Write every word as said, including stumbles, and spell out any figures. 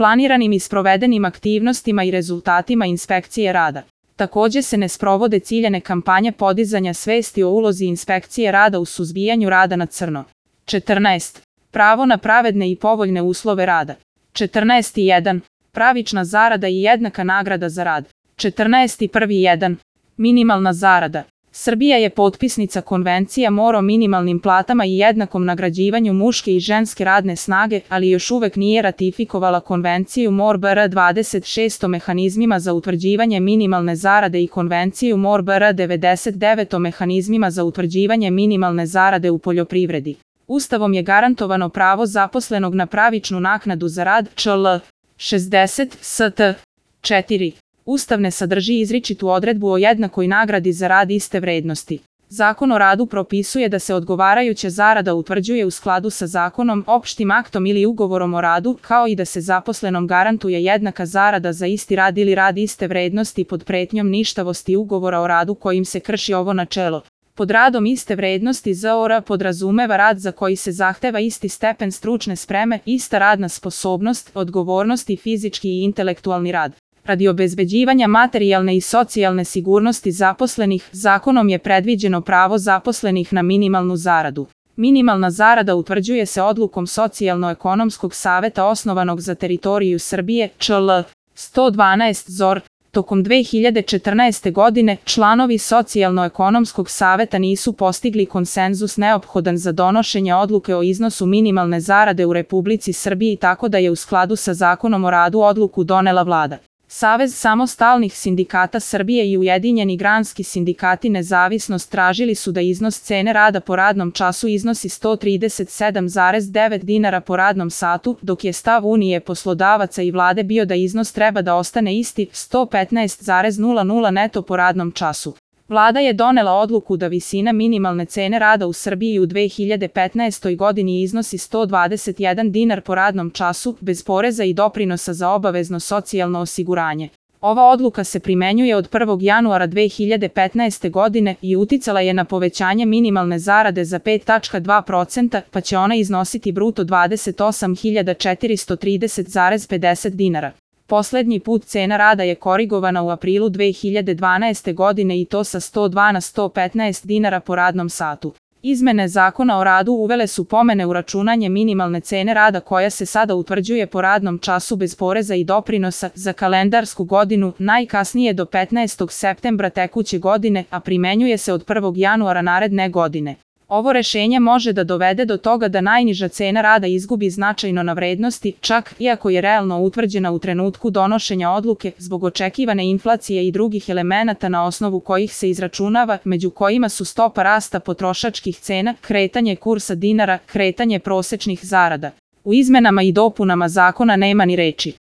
planiranim i sprovedenim aktivnostima i rezultatima inspekcije rada. Takođe se ne sprovode ciljane kampanje podizanja svesti o ulozi inspekcije rada u suzbijanju rada na crno. četrnaest. Pravo na pravedne i povoljne uslove rada. četrnaest jedan. Pravična zarada i jednaka nagrada za rad. četrnaest jedan. Minimalna zarada. Srbija je potpisnica Konvencija M O R o minimalnim platama i jednakom nagrađivanju muške i ženske radne snage, ali još uvek nije ratifikovala Konvenciju M O R B R dvadeset šest o mehanizmima za utvrđivanje minimalne zarade i Konvenciju M O R B R devedeset devet o mehanizmima za utvrđivanje minimalne zarade u poljoprivredi. Ustavom je garantovano pravo zaposlenog na pravičnu naknadu za rad, čl. šezdeset st. četiri. Ustav ne sadrži izričitu odredbu o jednakoj nagradi za rad iste vrednosti. Zakon o radu propisuje da se odgovarajuća zarada utvrđuje u skladu sa zakonom, opštim aktom ili ugovorom o radu, kao i da se zaposlenom garantuje jednaka zarada za isti rad ili rad iste vrednosti pod pretnjom ništavosti ugovora o radu kojim se krši ovo načelo. Pod radom iste vrednosti Z O R podrazumeva rad za koji se zahteva isti stepen stručne spreme, ista radna sposobnost, odgovornost i fizički i intelektualni rad. Radi obezbeđivanja materijalne i socijalne sigurnosti zaposlenih, zakonom je predviđeno pravo zaposlenih na minimalnu zaradu. Minimalna zarada utvrđuje se odlukom Socijalno-ekonomskog saveta osnovanog za teritoriju Srbije, čl. sto dvanaest Z O R. Tokom dve hiljade četrnaeste. godine, članovi Socijalno-ekonomskog saveta nisu postigli konsenzus neophodan za donošenje odluke o iznosu minimalne zarade u Republici Srbiji, tako da je u skladu sa Zakonom o radu odluku donela vlada. Savez samostalnih sindikata Srbije i Ujedinjeni granski sindikati Nezavisnost tražili su da iznos cene rada po radnom času iznosi sto trideset sedam zarez devet dinara po radnom satu, dok je stav Unije poslodavaca i vlade bio da iznos treba da ostane isti, sto petnaest zarez nula nula neto po radnom času. Vlada je donela odluku da visina minimalne cene rada u Srbiji u dve hiljade petnaestoj. godini iznosi sto dvadeset jedan dinar po radnom času, bez poreza i doprinosa za obavezno socijalno osiguranje. Ova odluka se primenjuje od prvog januara dve hiljade petnaeste. godine i uticala je na povećanje minimalne zarade za pet zarez dva procenta, pa će ona iznositi bruto dvadeset osam hiljada četiristo trideset zarez pedeset dinara. Poslednji put cena rada je korigovana u aprilu dve hiljade dvanaeste. godine i to sa sto dva na sto petnaest dinara po radnom satu. Izmene Zakona o radu uvele su pomene u računanje minimalne cene rada koja se sada utvrđuje po radnom času bez poreza i doprinosa za kalendarsku godinu, najkasnije do petnaestog septembra tekuće godine, a primenjuje se od prvog januara naredne godine. Ovo rešenje može da dovede do toga da najniža cena rada izgubi značajno na vrednosti, čak iako je realno utvrđena u trenutku donošenja odluke, zbog očekivane inflacije i drugih elemenata na osnovu kojih se izračunava, među kojima su stopa rasta potrošačkih cena, kretanje kursa dinara, kretanje prosečnih zarada. U izmenama i dopunama zakona nema ni reči.